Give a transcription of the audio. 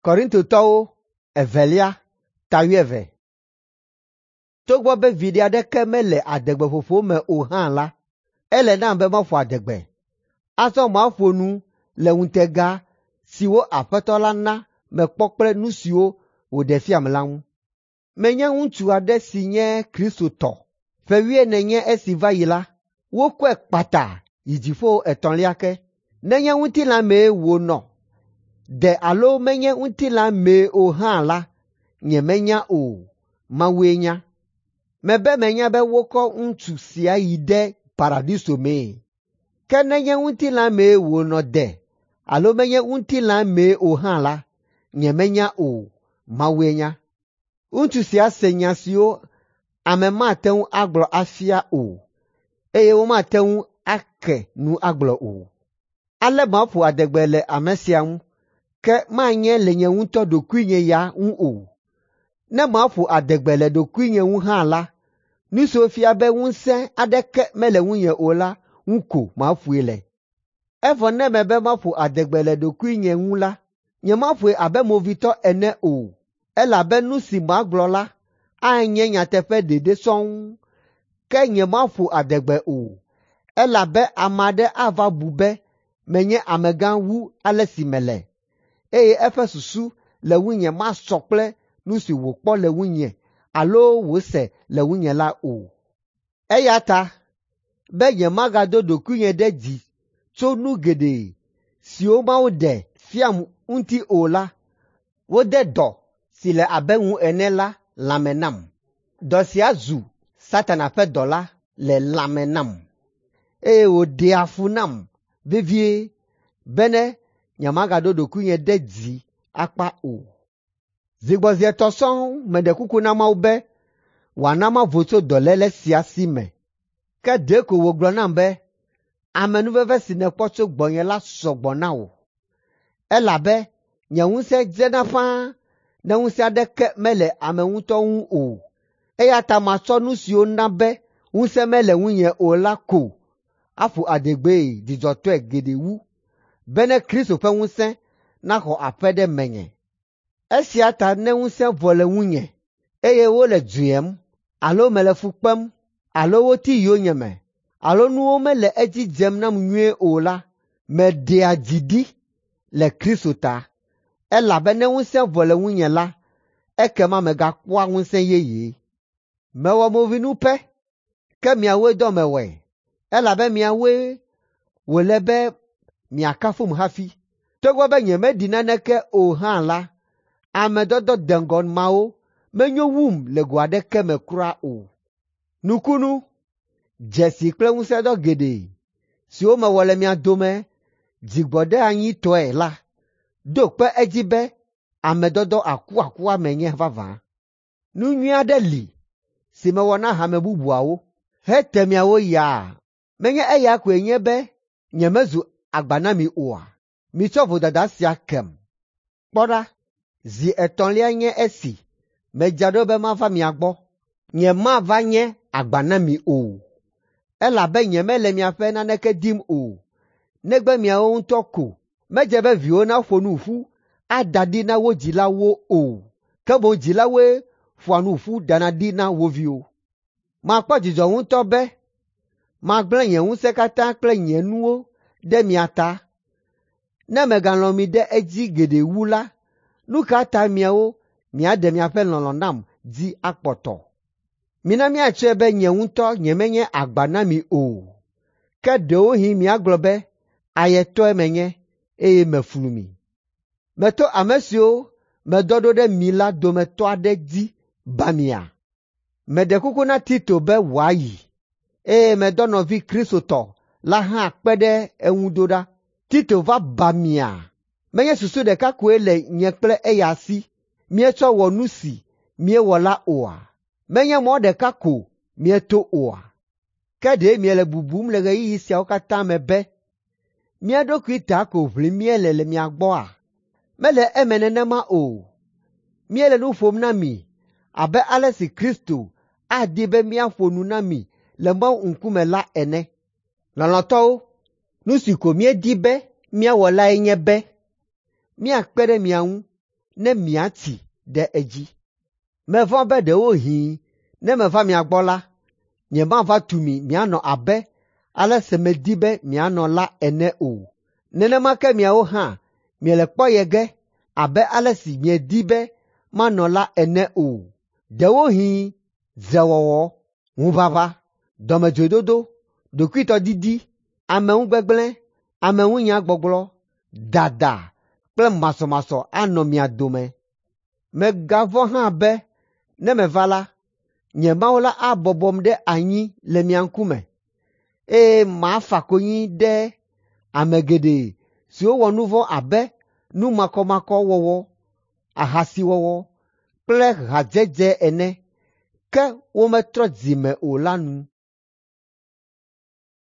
Korintotɔwo evelia ta wuieve. Togbɔ be viɖe aɖeke mele adegbeƒoƒo me o hã la, ele nam be maƒo adegbe. Azɔ maƒo nu le ŋutega siwo Aƒetɔ la na mekpɔ kple nu siwo wòɖe fiam la ŋu. Menye ŋutsu aɖe si nye Kristotɔ. Ƒe wuiene nye esi va yi la, wokɔe kpata yi dziƒo etɔ̃lia ke. Nenye ŋutilã mee wònɔ de alo menye ŋutilã mee o hã la, nyemenya o, Mawue nya. Mebe menya be wokɔ ŋutsu sia yi ɖe paradiso mee. Ke nenye ŋutilã mee wònɔ de alo menye ŋutilã mee o hã la, nyemenya o, Mawue nya. Ŋutsu sia se nya siwo ame mate ŋu agblɔ afia o, eye womate ŋu ake nu agblɔ o. Ale maƒo adegbe le ame sia ŋu, ke manye le nye ŋutɔ ɖokuinye ya ŋu o. Ne maƒo adegbe le ɖokuinye ŋu hã la, nu siwo fia be ŋusẽ aɖeke mele ŋunye o la ŋu ko maƒoe le. Evɔ ne mebe maƒo adegbe le ɖokuinye ŋu la, nyemaƒoe abe movitɔ ene o, elabe nu si magblɔ la anye nyateƒe ɖeɖe sɔŋ. Ke nyemaƒo adegbe o, elabe ame aɖe ava bu be menye amegã wu ale si mele, eye eƒe susu le ŋunye masɔ kple nu si wòkpɔ le ŋunye alo wòse le ŋunye la o. Eya ta be nyemagado ɖokuinye ɖe dzi tso nu geɖe siwo Mawu ɖe fiam ŋuti o la, wode dɔ si le abe ŋu ene la lãme nam. Dɔ sia zu Satana ƒe dɔla le lãme nam, eye wòɖea fu nam vevie bene nyemagaɖo ɖokuinye ɖe dzi akpa o. Zigbɔzi etɔ̃ sɔŋ meɖe kuku na Mawu be wòana mavo tso dɔléle sia si me. Ke ɖeko wògblɔ nam be, “Amenuveve si nèkpɔ tso gbɔnye la sɔ gbɔ na wò, elabe nye ŋusẽ dzena ƒãa ne ŋusẽ aɖeke mele ame ŋutɔ ŋu o. Eya ta matsɔ nu siwo na be ŋusẽ mele ŋunye o la ko aƒo adegbee dzidzɔtɔe geɖe wu, bene Kristo ƒe ŋusẽ naxɔ aƒe ɖe menye. Esia ta ne ŋusẽ vɔ le ŋunye, eye wole dzuyem, alo mele fu kpem, alo woti yonyeme, alo nuwo mele edzi dzem nam nyuie o la, meɖea dzi ɖi le Kristo ta, elabe ne ŋusẽ vɔ le ŋunye la, ekema megakpɔa ŋusẽ yeye. Mewɔ movinu pɛ, ke miawoe dɔ mewɔe, elabe miawoe wòle be miakafum hafi. Togbɔ be nyemeɖi naneke o hã la, ame dɔdɔ deŋgɔ mawo menyo wum le go aɖeke me kura o. Nukunu, dzesi kple ŋusẽdɔ geɖe siwo mewɔ le mia dome dzigbɔɖeanyitɔe la ɖo kpe edzi be ame dɔdɔ akuakua menye vavã. Nu nyui aɖe li si mewɔ na hame bubuawo hete miawo yaa. Menye eya koe nye be nyemezu agba na mi oa? Mitsɔ vodada sia kem. Kpɔ ɖa, zi etɔ̃lia nye esi medzra ɖo be mava mia gbɔ. Nyemava nye agba na mi o, elabe nyemele miaƒe naneke dim o, negbe miawo ŋutɔ ko. Medze be viwo naƒo nu ƒu ada ɖi na wo dzilawo o, ke boŋ dzilawoe ƒoa nu ƒu dana ɖi na wo viwo. Makpɔ dzidzɔ ŋutɔ be magblẽ nye ŋusẽ katã kple nye nuwo ɖe mia ta. Ne megalɔ̃ mi ɖe edzi geɖe wu la, nu ka ta miawo miaɖe miaƒe lɔlɔ̃ nam dzi akpɔtɔ? Mina míatsɔe be nye ŋutɔ nyemenye agba na mi o, ke ɖewohĩ miagblɔ be ayetɔe menye, eye meflu mi. Meto ame siwo medɔ ɖo ɖe mi la dometɔ aɖe dzi ba mia? Meɖe kuku na Tito be wòayi, eye medɔ nɔvi Kristotɔ la hã kpe ɖe eŋu ɖo ɖa. Tito va ba mia? Menye susu ɖeka koe le nye kple eya si míetsɔ wɔ nu si míewɔ la oa? Menye mɔ ɖeka ko míeto oa? Ke ɖe miele bubum le ɣeyiɣi siawo katã me be mía ɖokui ta ko ʋlim míele le mia gbɔa? Mele eme nenema o. Míele nu ƒom na mi abe ale si Kristo adi be míaƒo nu na mi le Mawu ŋkume la ene. Lɔlɔ̃tɔwo, nu si ko míedi be míawɔ lae nye be míakpe ɖe mia ŋu. ne miatsi ɖe edzi. Mevɔ̃ be ɖewohĩ ne meva mia gbɔ la, nyemava tu mi mianɔ abe ale si medi be mianɔ la ene o. Nenema ke miawo hã miele kpɔye ge abe ale si miedi be manɔ la ene o. Ɖewohĩ dzrewɔwɔ, ŋuʋaʋã, dɔmedzoedodo, ɖokuitɔdidi, ameŋugbegblẽ, ameŋunyagbɔgblɔ, dada kple masɔmasɔ anɔ mia dome. Megavɔ̃ hã be ne meva la, nye Mawu la abɔbɔm ɖe anyi le mia ŋkume, eye mafa konyi ɖe ame geɖe siwo wɔ nu vɔ̃ abe nu makɔmakɔ wɔwɔ, ahasiwɔwɔ kple hadzedze ene, ke wometrɔ dzi me o la nu.